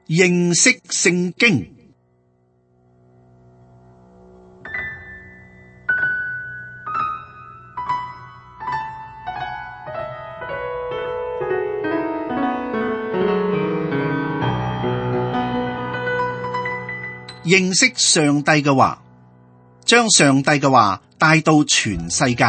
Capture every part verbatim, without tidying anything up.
認識聖經。認識上帝嘅話，將上帝嘅話帶到全世界。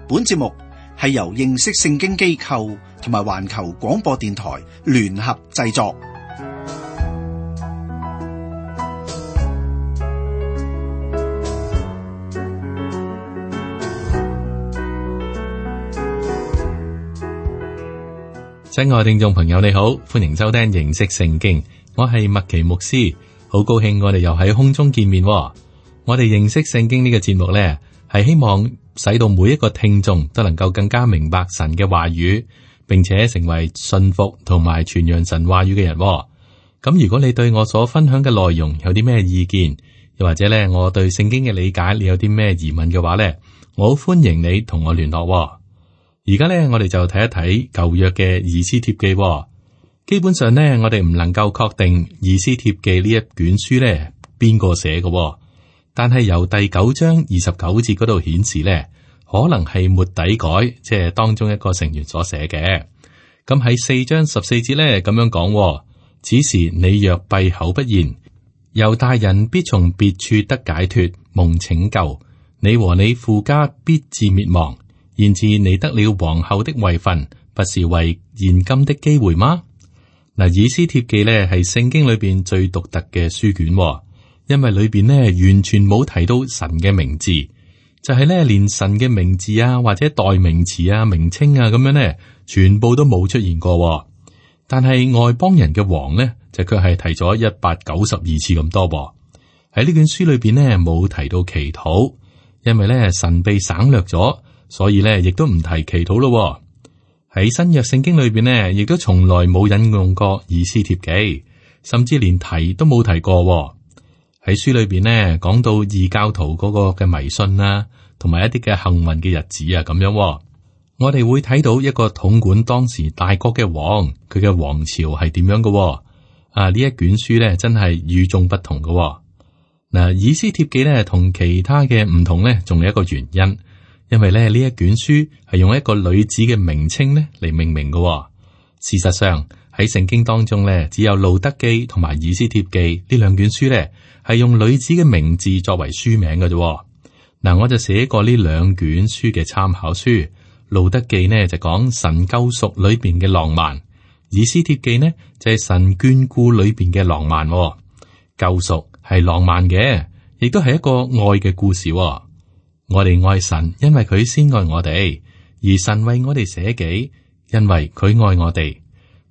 本節目係由認識聖經機構同埋環球廣播電台聯合製作。親愛聽眾朋友，你好，歡迎收聽認識聖經。我係麥奇牧師，好高興我哋又喺空中見面。我哋認識聖經呢個節目呢，係希望使到每一個聽眾都能夠更加明白神嘅話語，並且成為信服同埋傳揚神話語嘅人。咁如果你對我所分享嘅內容有啲咩意見，又或者呢我對聖經嘅理解你有啲咩疑問嘅話呢，我好歡迎你同我聯絡。而家呢，我哋就睇一睇舊約嘅以斯帖記。基本上呢，我哋唔能夠確定以斯帖記呢一卷書呢邊個寫嘅，但係由第九章二十九節嗰度顯示呢，可能係末底改，即係當中一個成員所寫嘅。咁喺四章十四節呢咁樣講，此時你若閉口不言，猶大人必從別處得解脫，蒙拯救，你和你父家必致滅亡。然而你得了皇后的位分，不是為現今的機會嗎？嗱，以斯帖記咧係聖經裏邊最獨特嘅書卷，因為裏邊咧完全冇提到神嘅名字，就係咧連神嘅名字啊或者代名詞啊名稱啊咁樣咧，全部都冇出現過。但係外邦人嘅王咧就卻係提咗一百九十二次咁多。喺呢卷書裏邊咧冇提到祈禱，因為咧神被省略咗，所以咧亦都唔提祈禱咯。喺新約聖經裏邊呢，亦都從來冇引用過以斯帖記，甚至連提都冇提過。喺書裏邊呢，講到異教徒嗰個嘅迷信啊，同埋一啲嘅幸運嘅日子啊，咁樣。我哋會睇到一個統管當時大國嘅王，佢嘅王朝係點樣嘅。啊，呢一卷書呢，真係與眾不同嘅。嗱，以斯帖記呢，同其他嘅唔同呢，仲有一個原因。因為咧呢一卷書係用一個女子嘅名稱咧嚟命名嘅。事實上喺聖經當中咧，只有路得記同埋以斯帖記呢兩卷書咧係用女子嘅名字作為書名嘅啫。嗱，我就寫過呢兩卷書嘅參考書。路得記呢就講神救贖裏邊嘅浪漫，以斯帖記呢就係神眷顧裏邊嘅浪漫。救贖係浪漫嘅，亦都係一個愛嘅故事。我哋愛神，因為佢先愛我哋；而神為我哋捨己，因為佢愛我哋。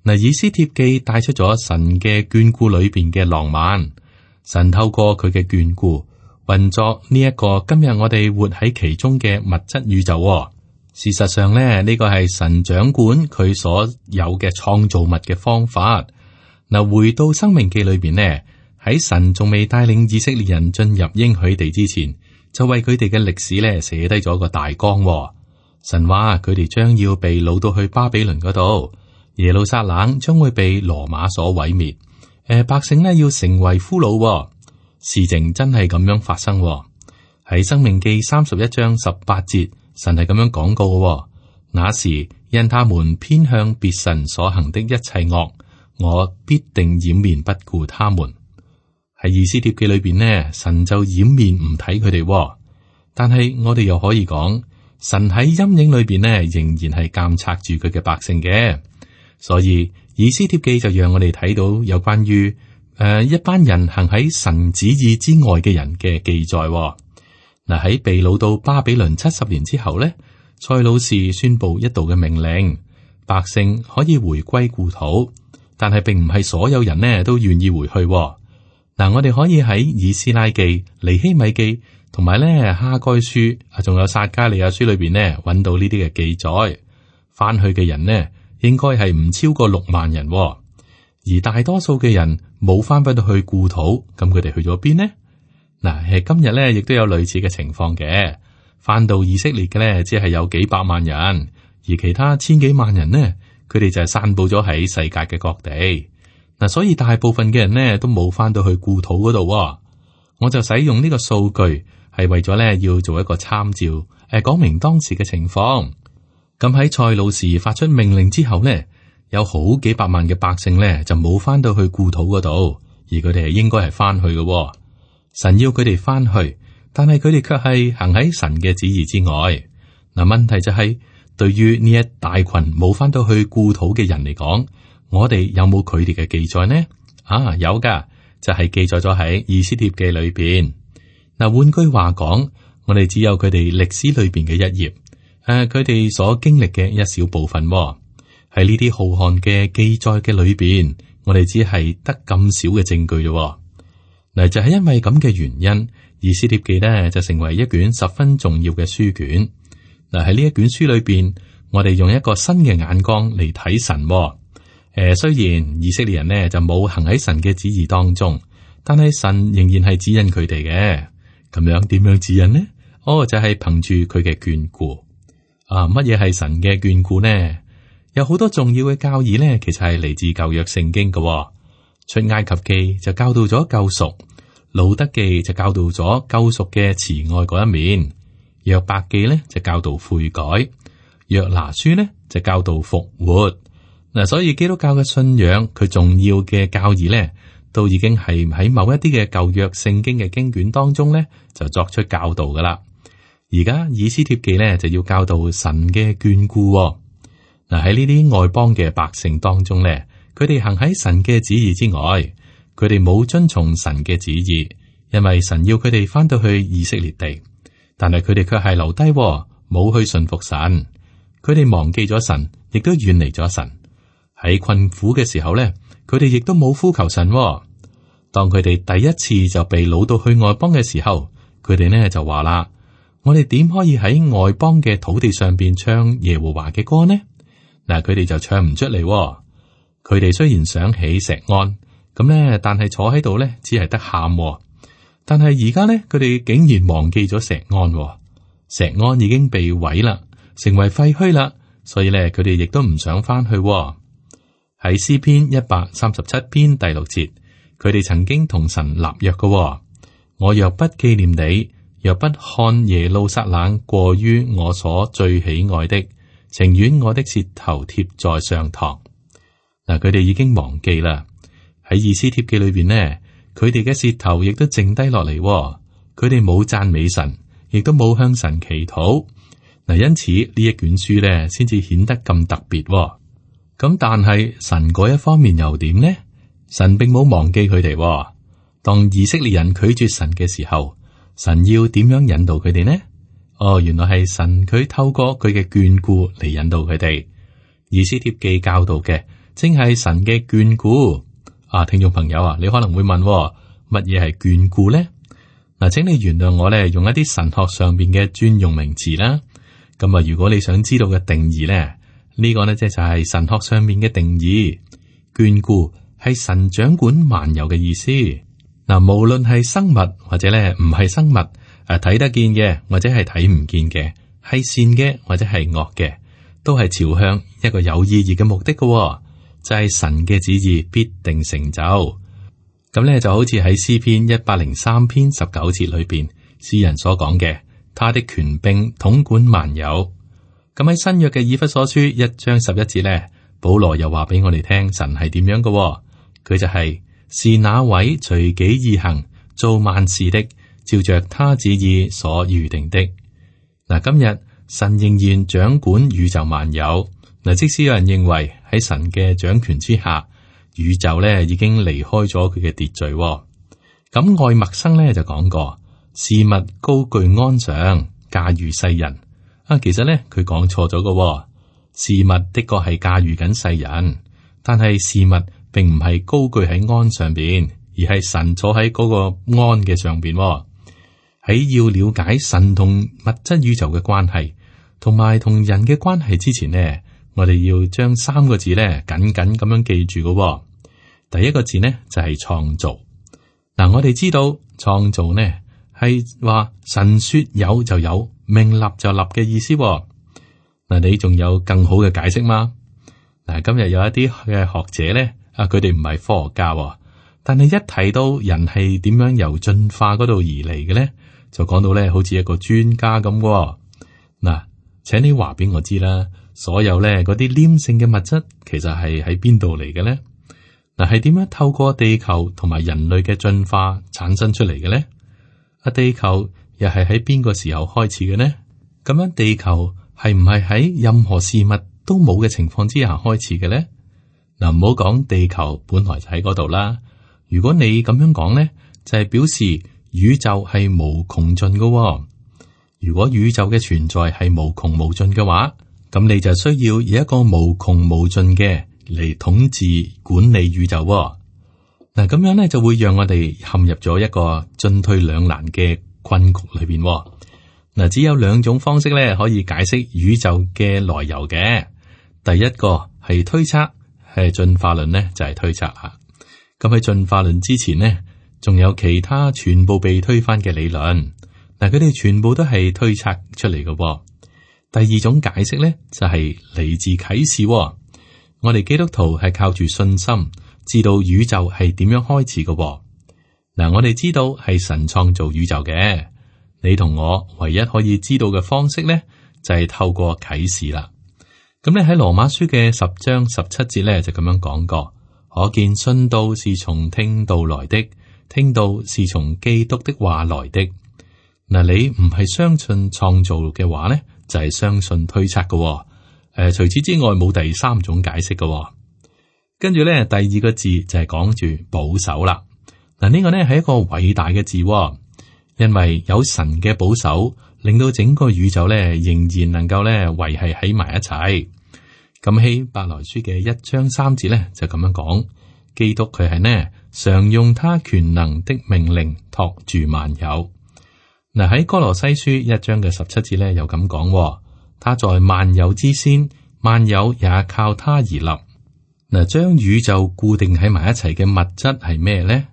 嗱，以斯帖記帶出咗神嘅眷顧裏邊嘅浪漫。神透過佢嘅眷顧運作呢一個今日我哋活喺其中嘅物質宇宙。事實上咧，呢個係神掌管佢所有嘅創造物嘅方法。嗱，回到申命記裏邊呢，喺神仲未帶領以色列人進入應許地之前，就為佢哋嘅歷史咧寫低咗個大綱。神話佢哋將要被擄到去巴比倫嗰度，耶路撒冷將會被羅馬所毀滅。誒、呃，百姓呢要成為俘虜。事情真係咁樣發生。喺申命記三十一章十八節，神係咁樣講過嘅。那時因他們偏向別神所行的一切惡，我必定掩面不顧他們。喺以斯帖記裏邊呢，神就掩面唔睇佢哋，但係我哋又可以講，神喺陰影裏邊呢，仍然係監察住佢嘅百姓嘅。所以以斯帖記就讓我哋睇到有關於誒、呃、一班人行喺神旨意之外嘅人嘅記載。嗱，喺被擄到巴比倫七十年之後呢，塞魯士宣布一道嘅命令，百姓可以回歸故土，但係並唔係所有人呢都願意回去。嗱，我哋可以喺以斯拉記、尼希米記同埋咧哈該書啊，仲有撒迦利亞書裏邊呢，揾到呢啲嘅記載。翻去嘅人呢，應該係唔超過六萬人，而大多數嘅人冇翻返到去故土，咁佢哋去咗邊呢？嗱，係今日咧，亦都有類似嘅情況嘅。翻到以色列嘅咧，只係有幾百萬人，而其他千幾萬人呢，佢哋就係散布咗喺世界嘅各地。嗱，所以大部分嘅人呢都冇翻到去故土嗰度。我就使用呢個數據係為咗咧要做一個參照，誒，講明當時嘅情況。咁喺塞魯士發出命令之後呢，有好幾百萬嘅百姓呢就冇翻到去故土嗰度，而佢哋係應該係翻去嘅。神要佢哋翻去，但係佢哋卻係行喺神嘅旨意之外。嗱，問題就係，對於呢一大群冇翻到去故土嘅人嚟講，我哋有冇佢哋嘅記載呢？啊，有噶，就係記載咗喺以斯帖記裏邊。嗱，換句話講，我哋只有佢哋歷史裏邊嘅一頁，誒，佢哋所經歷嘅一小部分。喺呢啲浩瀚嘅記載嘅裏邊，我哋只係得咁少嘅證據啫。嗱，就係因為咁嘅原因，以斯帖記呢就成為一卷十分重要嘅書卷。嗱，喺呢一卷書裏邊，我哋用一個新嘅眼光嚟睇神。誒、呃，雖然以色列人呢就冇行喺神嘅旨意當中，但係神仍然係指引佢哋嘅。咁樣點樣指引呢？哦，就係、是、憑住佢嘅眷顧。啊，乜嘢係神嘅眷顧呢？有好多重要嘅教義呢，其實係嚟自舊約聖經嘅。出埃及記就教導咗救贖，路德記就教導咗救贖嘅慈愛嗰一面。約伯記咧就教導悔改，約拿書咧就教導復活。嗱，所以基督教嘅信仰佢重要嘅教義咧，都已經係喺某一啲嘅舊約聖經嘅經卷當中咧就作出教導噶啦。而家以斯帖記咧就要教導神嘅眷顧。嗱，喺呢啲外邦嘅百姓當中咧，佢哋行喺神嘅旨意之外，佢哋冇遵從神嘅旨意，因為神要佢哋翻到去以色列地。但係佢哋卻係留低，冇去信服神。佢哋忘記咗神，亦都遠離咗神。喺困苦嘅時候咧，佢哋亦都冇呼求神。當佢哋第一次就被擄到去外邦嘅時候，佢哋呢就話啦：我哋點可以喺外邦嘅土地上邊唱耶和華嘅歌呢？嗱，佢哋就唱唔出嚟。佢哋雖然想起錫安，咁咧，但係坐喺度咧，只係得喊。但係而家咧，佢哋竟然忘記咗錫安，錫安已經被毀啦，成為廢墟啦，所以咧，佢哋亦都唔想翻去。喺詩篇一百三十七篇第六節，佢哋曾經同神立約嘅。我若不紀念你，若不看耶路撒冷過於我所最喜愛的，情願我的舌頭貼在上膛。嗱，佢哋已經忘記啦。喺以斯帖記裏邊呢，佢哋嘅舌頭亦都剩低落嚟，佢哋冇讚美神，亦都冇向神祈禱。嗱，因此呢一卷書咧，先至顯得咁特別。咁但係神嗰一方面又點呢？神並冇忘記佢哋。當以色列人拒絕神嘅時候，神要點樣引導佢哋呢？哦，原來係神佢透過佢嘅眷顧嚟引導佢哋。以斯帖記教導嘅，正係神嘅眷顧。啊，聽眾朋友啊，你可能會問，乜嘢係眷顧呢？嗱，請你原諒我咧，用一啲神學上邊嘅專用名詞啦。咁啊，如果你想知道嘅定義咧，呢個呢，即係就係神學上面嘅定義。眷顧係神掌管萬有嘅意思。嗱，無論係生物或者咧唔係生物，誒睇得見嘅或者係睇唔見嘅，係善嘅或者係惡嘅，都係朝向一個有意義嘅目的嘅。就係神嘅旨意必定成就，咁咧就好似喺詩篇一百零三篇十九節裏邊，詩人所講嘅，他的權柄統管萬有。咁喺新約嘅以弗所書一章十一節咧，保羅又話俾我哋聽，神係點樣嘅？佢就係、是、是那位隨己意行，做萬事的，照着他旨意所預定的。嗱，今日神仍然掌管宇宙萬有。嗱，即使有人認為喺神嘅掌權之下，宇宙咧已經離開咗佢嘅秩序。咁愛默生咧就講過，事物高居安上，駕馭世人。啊，其實咧佢講錯咗嘅，事物的確係駕馭緊世人，但係事物並唔係高居喺安上邊，而係神坐喺嗰個安嘅上邊。喺要了解神同物質宇宙嘅關係，同埋同人嘅關係之前呢，我哋要將三個字咧緊緊咁樣記住嘅、哦。第一個字呢就係、是、創造。嗱、嗯，我哋知道創造呢係話神說有就有，命立就立嘅意思、哦。嗱、嗯，你仲有更好嘅解釋嗎？嗱，今日有一啲嘅學者咧，啊，佢哋唔係科學家喎，但係一提到人係點樣由進化嗰度而嚟嘅咧，就講到咧好似一個專家咁喎。嗱，請你話俾我知啦，所有咧嗰啲黏性嘅物質，其實係喺邊度嚟嘅咧？嗱，係點樣透過地球同埋人類嘅進化產生出嚟嘅咧？啊，地球又係喺邊個時候開始嘅呢？咁樣地球係唔係喺任何事物都冇嘅情況之下開始嘅咧？嗱，唔好講地球本來就喺嗰度啦。如果你咁樣講咧，就係、是、表示宇宙係無窮盡嘅。如果宇宙嘅存在係無窮無盡嘅話，咁你就需要以一個無窮無盡嘅嚟統治管理宇宙。嗱，咁樣咧就會讓我哋陷入咗一個進退兩難嘅困局裏邊。嗱，只有兩種方式咧可以解釋宇宙嘅來由嘅。第一個係推測，係進化論呢就係推測啦。咁喺進化論之前呢，仲有其他全部被推翻嘅理論。嗱，佢哋全部都係推測出嚟嘅。第二種解釋咧就係嚟自啟示。我哋基督徒係靠住信心知道宇宙係點樣開始嘅。嗱，我哋知道係神創造宇宙嘅。你同我唯一可以知道嘅方式咧，就係透過啟示啦。咁咧喺羅馬書嘅十章十七節咧就咁樣講過，可見信道是從聽道來的，聽道是從基督的話來的。嗱，你唔係相信創造嘅話咧，就係相信推測嘅。誒，除此之外冇第三種解釋嘅。跟住咧，第二個字就係講住保守啦。嗱，呢個咧係一個偉大嘅字，因為有神嘅保守，令到整個宇宙咧仍然能夠咧維繫喺埋一齊。咁希伯來書嘅一章三節咧就咁樣講，基督佢係呢常用他權能的命令托住萬有。嗱，喺哥羅西書一章嘅十七節咧又咁講，他在萬有之先，萬有也靠他而立。嗱，將宇宙固定喺埋一齊嘅物質係咩咧？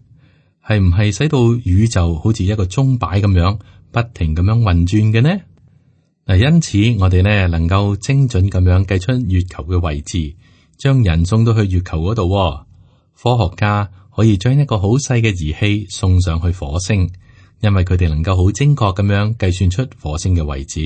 係唔係使到宇宙好似一個鐘擺咁樣不停咁樣運轉嘅呢？嗱，因此我哋呢能夠精準咁樣計出月球嘅位置，將人送到去月球嗰度。科學家可以將一個好細嘅儀器送上去火星，因為佢哋能夠好精確咁樣計算出火星嘅位置。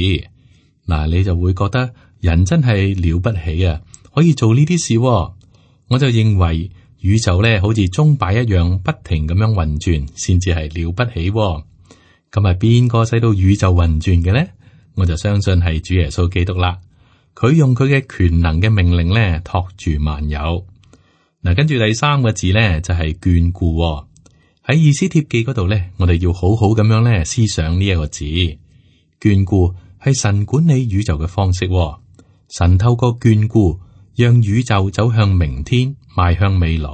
嗱，你就會覺得人真係了不起啊，可以做呢啲事。我就認為宇宙咧好似鐘擺一樣不停咁樣運轉，先至係了不起。咁係邊個使到宇宙運轉嘅咧？我就相信係主耶穌基督啦。佢用佢嘅權能嘅命令咧托住萬有。嗱，跟住第三個字咧就係眷顧。喺以斯帖記嗰度咧，我哋要好好咁樣咧思想呢一個字。眷顧係神管理宇宙嘅方式。神透過眷顧，讓宇宙走向明天，邁向未來。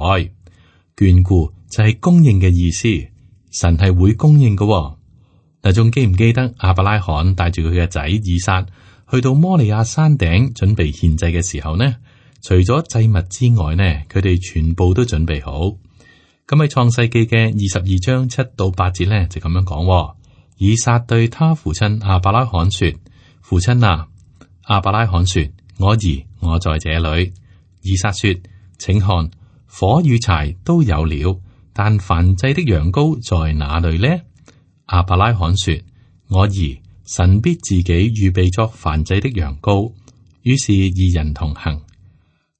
眷顧就係供應嘅意思，神係會供應嘅。嗱，仲記唔記得亞伯拉罕帶住佢嘅仔以撒去到摩利亞山頂準備獻祭嘅時候呢？除咗祭物之外呢，佢哋全部都準備好。咁喺創世記嘅二十二章七到八節呢，就咁樣講。以撒對他父親亞伯拉罕說：父親啊！亞伯拉罕說：我兒，我在這裏。以撒說：請看，火與柴都有了，但燔祭的羊羔在哪裏呢？亞伯拉罕說：我兒，神必自己預備作燔祭的羊羔。於是二人同行。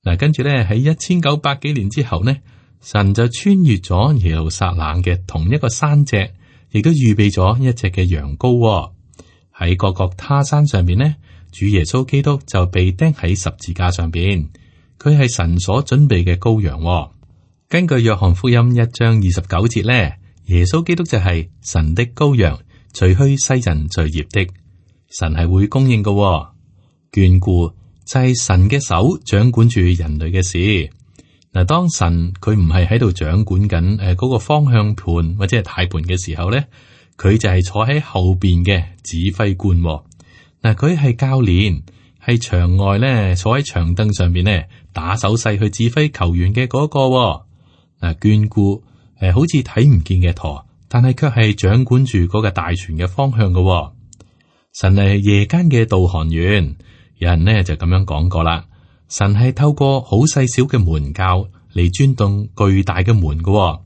嗱，跟住咧喺一千九百幾年之後呢，神就穿越咗耶路撒冷嘅同一個山脊，亦都預備咗一隻嘅羊羔。喺各各他山上邊呢，主耶穌基督就被釘喺十字架上邊，佢係神所準備嘅羔羊。根據約翰福音一章二十九節咧，耶穌基督就係神的羔羊，除去世人罪孽的。神係會供應嘅，眷顧就係神嘅手掌管住人類嘅事。嗱，當神佢唔係喺度掌管緊誒嗰個方向盤或者係軚盤嘅時候咧，佢就係坐喺後邊嘅指揮官。嗱，佢係教練，係場外咧坐喺長凳上邊咧打手勢去指揮球員嘅嗰個。嗱，眷顧誒好似睇唔見嘅舵，但係卻係掌管住嗰個大船嘅方向嘅。神係夜間嘅導航員，有人呢就咁樣講過啦。神係透過好細小嘅門鉸嚟鑽動巨大嘅門嘅、哦。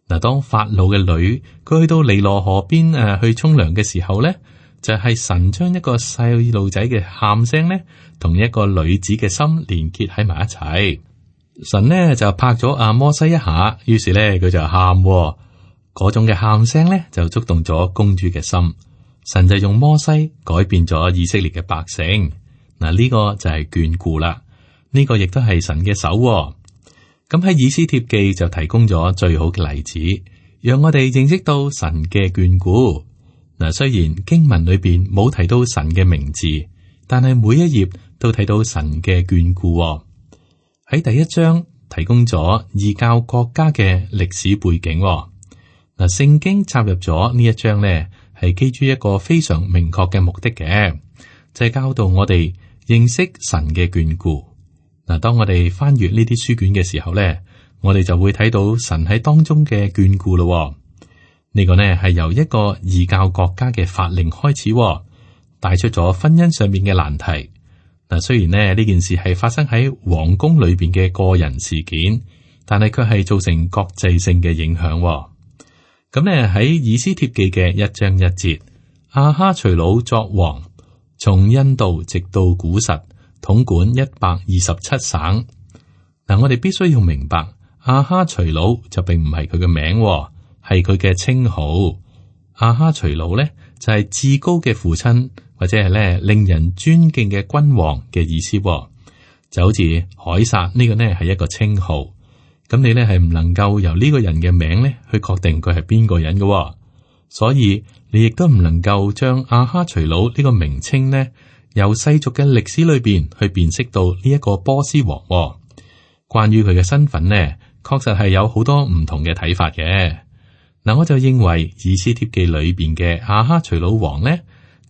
嗱，當法老嘅女佢去到尼羅河邊誒、啊、去沖涼嘅時候咧，就係、是、神將一個細路仔嘅喊聲咧，同一個女子嘅心連結喺埋一齊。神呢就拍咗阿摩西一下，於是咧佢就喊、哦，嗰種嘅喊聲咧就觸動咗公主嘅心。神就用摩西改變咗以色列嘅百姓。嗱，呢個就係眷顧啦，呢、這個亦都係神嘅手、哦。咁喺以斯帖記就提供咗最好嘅例子，讓我哋認識到神嘅眷顧。嗱，雖然經文裏邊冇提到神嘅名字，但係每一頁都睇到神嘅眷顧、哦。喺第一章提供咗異教國家嘅歷史背景、哦。嗱，聖經插入咗呢一章呢，係基於一個非常明確嘅目的嘅，就係、是、教導我哋認識神嘅眷顧。嗱，當我哋翻閱呢啲書卷嘅時候咧，我哋就會睇到神喺當中嘅眷顧咯。呢個呢係由一個異教國家嘅法令開始，帶出咗婚姻上面嘅難題。嗱，雖然呢呢件事係發生喺皇宮裏邊嘅個人事件，但係卻係造成國際性嘅影響。咁呢喺以斯帖記嘅一章一節，亞哈隨魯作王，從印度直到古實。統管一百二十七省。嗱，我哋必須要明白，亞哈隨魯就並唔係佢嘅名，係佢嘅稱號。亞哈隨魯咧就係、是、至高嘅父親，或者係咧令人尊敬嘅君王嘅意思。就好似凱撒呢個呢係一個稱號，咁你咧係唔能夠由呢個人嘅名咧去確定佢係邊個人嘅，所以你亦都唔能夠將亞哈隨魯呢個名稱呢，由世俗嘅歷史裏邊去辨識到呢一個波斯王、哦。關於佢嘅身份呢，確實係有好多唔同嘅睇法嘅。嗱，我就認為以斯帖記裏邊嘅亞哈隨魯王呢，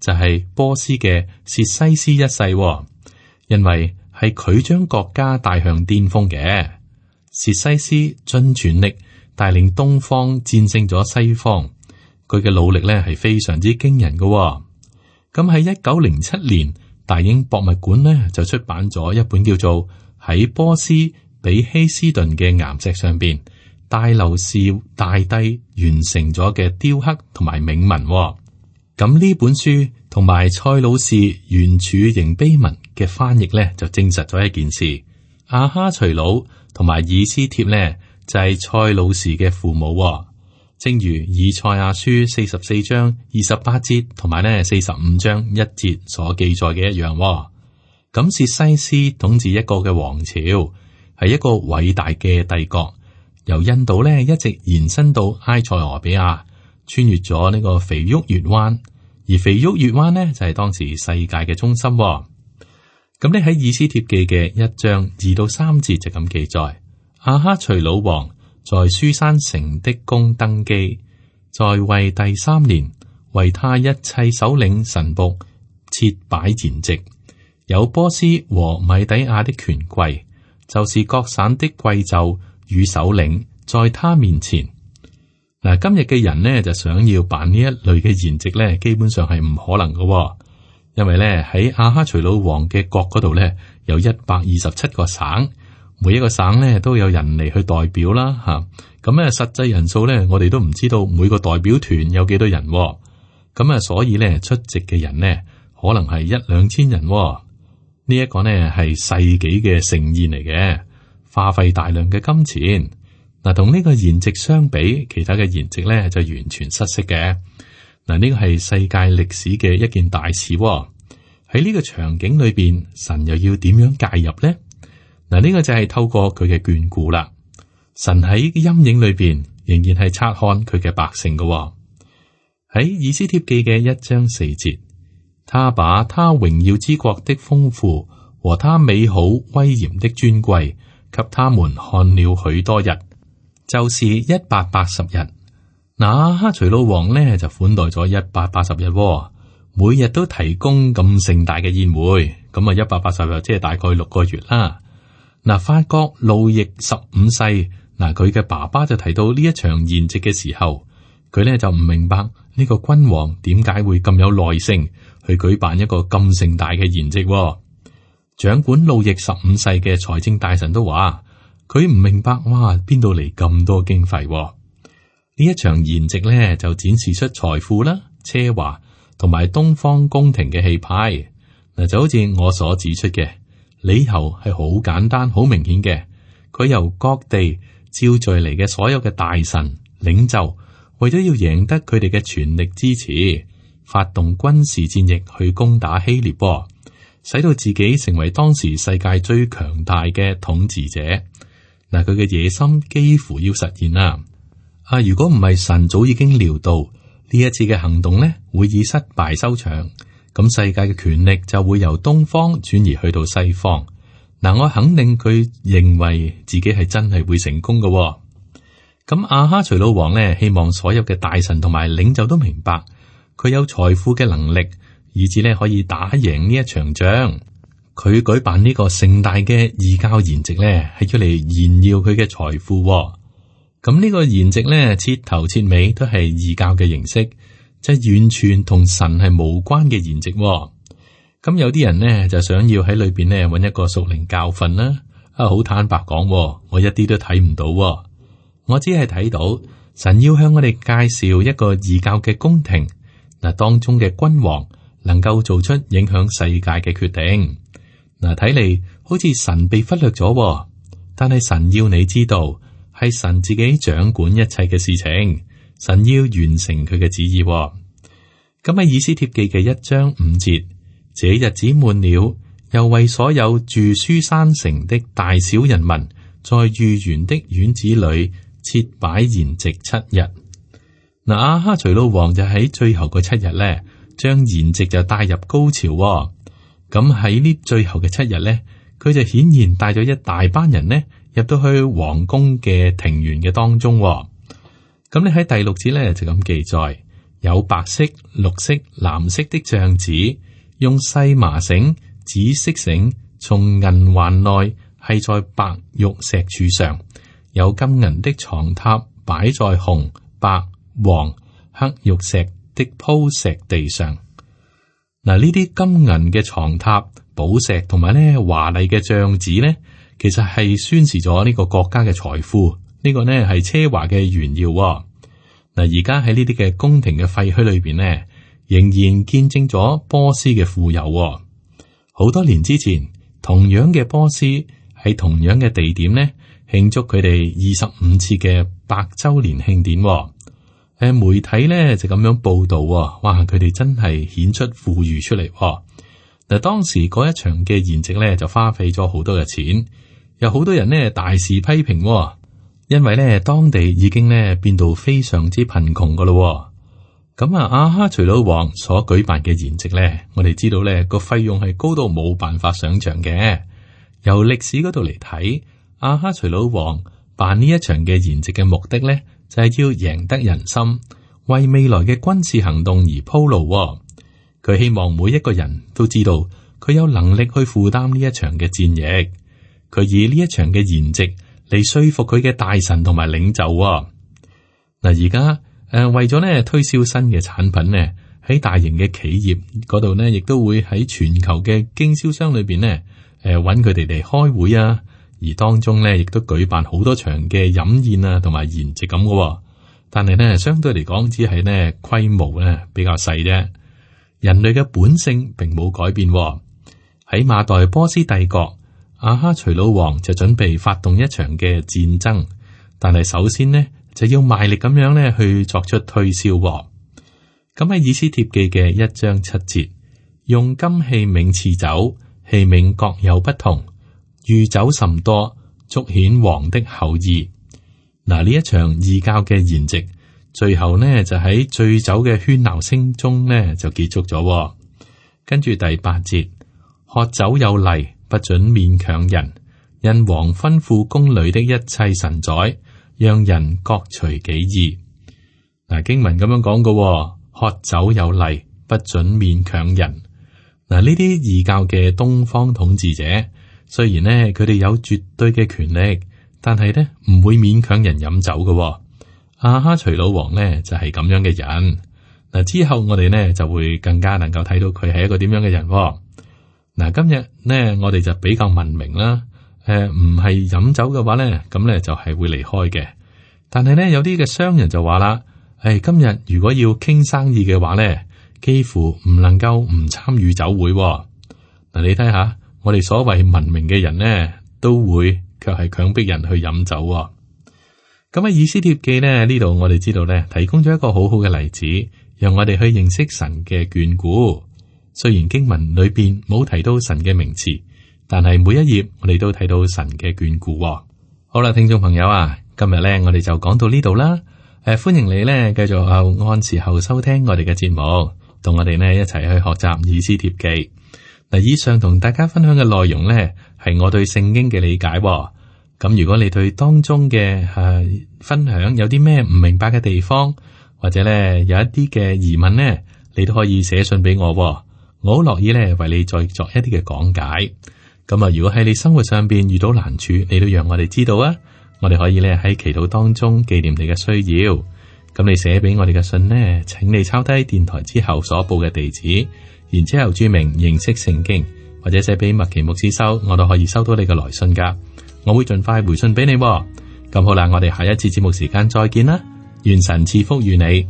就係、是、波斯嘅薛西斯一世、哦，因為係佢將國家帶向巔峰嘅。薛西斯盡全力帶領東方戰勝咗西方，佢嘅努力呢係非常之驚人嘅、哦。咁喺一九零七年，大英博物館呢就出版咗一本叫做《喺波斯比希斯頓嘅岩石上邊，大流士大帝完成咗嘅雕刻同埋銘文》。咁呢本書同埋塞魯士圓柱形碑文嘅翻譯呢，就證實咗一件事：亞哈隨魯同埋以斯帖呢，就係塞魯士嘅父母。正如以賽亞書四十四章二十八節同埋呢四十五章一節所記載嘅一樣，咁薛西斯統治一個嘅王朝，係一個偉大嘅帝國，由印度呢一直延伸到埃塞俄比亞，穿越咗呢個肥沃月灣，而肥沃月灣呢就係當時世界嘅中心。咁你喺以斯帖記嘅一章二到三節就咁記載：亞哈隨魯王在書珊城的宮登基，在位第三年，為他一切首領臣僕設擺筵席，有波斯和米底亞的權貴，就是各省的貴胄與首領，在他面前。嗱，今日嘅人呢就想要辦呢一類嘅筵席呢，基本上係唔可能嘅，因為呢喺亞哈隨魯王嘅國嗰度呢，有一百二十七個省。每一個省咧都有人嚟去代表啦，吓咁咧實際人數咧，我哋都唔知道每個代表團有幾多人，咁啊，所以咧出席嘅人呢，可能係一兩千人。呢一個呢係世紀嘅盛宴嚟嘅，花費大量嘅金錢。嗱，同呢個筵席相比，其他嘅筵席咧就完全失色嘅。嗱，呢個係世界歷史嘅一件大事。喺呢個場景裏邊，神又要點樣介入呢？嗱，呢個就係透過佢嘅眷顧啦。神喺陰影裏邊仍然係察看佢嘅百姓嘅、哦。喺以斯帖記嘅一章四節，他把他榮耀之國的豐富和他美好威嚴的尊貴，給他們看了許多日，就是一百八十日。那哈隨魯王呢就款待咗一百八十日、哦，每日都提供咁盛大嘅宴會，咁啊一百八十日即係大概六個月啦。嗱，法國路易十五世，嗱佢嘅爸爸就提到呢一場筵席嘅時候，佢咧就唔明白呢個君王點解會咁有耐性去舉辦一個咁盛大嘅筵席。掌管路易十五世嘅財政大臣都話，佢唔明白，哇，邊度嚟咁多經費？呢一場筵席咧就展示出財富啦、奢華同埋東方宮廷嘅氣派。嗱，就好似我所指出嘅，理由係好簡單、好明顯嘅。佢由各地召聚嚟嘅所有嘅大臣領袖，為咗要贏得佢哋嘅全力支持，發動軍事戰役去攻打希臘，使到自己成為當時世界最強大嘅統治者。嗱，佢嘅野心幾乎要實現啦。啊，如果唔係神早已經料到呢一次嘅行動呢會以失敗收場，咁世界嘅權力就會由東方轉移去到西方。嗱，我肯定佢認為自己係真係會成功嘅。咁亞哈隨魯王呢，希望所有嘅大臣同埋領袖都明白佢有財富嘅能力，以至呢可以打贏呢一場仗。佢舉辦呢個盛大嘅異教筵席呢，係要嚟炫耀佢嘅財富。咁呢個筵席呢，徹頭徹尾都係異教嘅形式，即係完全同神係無關嘅筵席。咁有啲人呢，就想要喺裏邊呢揾一個屬靈教訓啦。啊，好坦白講，我一啲都睇唔到。我只係睇到神要向我哋介紹一個異教嘅宮廷，嗱，當中嘅君王能夠做出影響世界嘅決定。嗱，睇嚟好似神被忽略咗，但係神要你知道，係神自己掌管一切嘅事情，神要完成佢嘅旨意。咁喺以斯帖記嘅一章五節，這日子滿了，又為所有住書珊城的大小人民，在御園的院子裏設擺筵席七日。嗱，亞哈隨魯王就喺最後嗰七日咧，將筵席就帶入高潮。咁喺呢最後嘅七日咧，佢就顯然帶咗一大班人呢入到去皇宮嘅庭園嘅當中。咁你喺第六節咧就咁記載，有白色、綠色、藍色的帳子，用細麻繩、紫色繩從銀環內繫在白玉石柱上，有金銀的床榻擺在紅、白、黃、黑玉石的鋪石地上。嗱，呢啲金銀嘅床榻、寶石同埋咧華麗嘅帳子咧，其實係宣示咗呢個國家嘅財富。呢個呢係奢華嘅炫耀。嗱，而家喺呢啲嘅宮廷嘅廢墟裏邊呢，仍然見證咗波斯嘅富有。好多年之前，同樣嘅波斯喺同樣嘅地點呢，慶祝佢哋二十五次嘅百周年慶典。誒，媒體咧就咁樣報道，哇！佢哋真係顯出富裕出嚟。嗱，當時嗰一場嘅筵席咧就花費咗好多嘅錢，有好多人呢大肆批評，因為咧當地已經咧變到非常之貧窮噶咯。咁啊，亞哈隨魯王所舉辦嘅筵席咧，我哋知道咧個費用係高到冇辦法想象嘅。由歷史嗰度嚟睇，亞哈隨魯王辦呢一場嘅筵席嘅目的咧，就係要贏得人心，為未來嘅軍事行動而鋪路。佢希望每一個人都知道佢有能力去負擔呢一場嘅戰役。佢以呢一場嘅筵席嚟說服佢嘅大臣同埋領袖。嗱，而家誒為咗咧推銷新嘅產品呢，喺大型嘅企業嗰度呢，亦都會喺全球嘅經銷商裏邊呢，誒揾佢哋嚟開會啊。而當中咧，亦都舉辦好多場嘅飲宴啊，同埋筵席咁嘅。但係咧，相對嚟講，只係咧規模咧比較細啫。人類嘅本性並冇改變。喺馬代波斯帝國，亞哈隨魯王就準備發動一場嘅戰爭，但係首先呢，就要賣力咁樣咧去作出推銷。咁喺以斯帖記嘅一章七節，用金器皿賜酒，器皿各有不同。御酒甚多，足顯王的厚意。嗱，呢一場異教嘅筵席，最後呢就喺醉酒嘅喧鬧聲中呢就結束咗。跟住第八節，喝酒有例，不准勉強人，因王吩咐宮裏的一切臣宰，讓人各隨己意。嗱，經文咁樣講嘅，喝酒有例，不准勉強人。嗱，呢啲異教嘅東方統治者，雖然呢，佢哋有絕對嘅權力，但係呢唔會勉強人飲酒嘅。亞哈隨魯王呢就係咁樣嘅人。嗱，之後我哋呢就會更加能夠睇到佢係一個點樣嘅人。嗱，今日呢，我哋就比較文明啦。誒，唔係飲酒嘅話咧，咁咧就係會離開嘅。但係咧，有啲嘅商人就話啦，誒，今日如果要傾生意嘅話咧，幾乎唔能夠唔參與酒會。嗱，你睇下，我哋所謂文明嘅人呢，都會卻係強迫人去飲酒。咁喺以斯帖記呢，呢度我哋知道咧，提供咗一個好好嘅例子，讓我哋去認識神嘅眷顧。雖然經文裏邊冇提到神嘅名詞，但係每一頁我哋都睇到神嘅眷顧。好啦，聽眾朋友啊，今日咧我哋就講到呢度啦。誒、呃，歡迎你咧繼續後按時候收聽我哋嘅節目，同我哋呢一齊去學習以斯帖記。嗱，以上同大家分享嘅內容咧，係我對聖經嘅理解。咁如果你對當中嘅誒、呃、分享有啲咩唔明白嘅地方，或者咧有一啲嘅疑問呢，你都可以寫信俾我。我好樂意咧，為你再作一啲嘅講解。咁啊，如果喺你生活上邊遇到難處，你都讓我哋知道啊。我哋可以咧喺祈禱當中紀念你嘅需要。咁你寫俾我哋嘅信呢，請你抄低電台之後所報嘅地址，然之後注明認識聖經，或者寫俾麥奇牧師收，我都可以收到你嘅來信噶。我會盡快回信俾你。咁好啦，我哋下一次節目時間再見啦。願神賜福於你。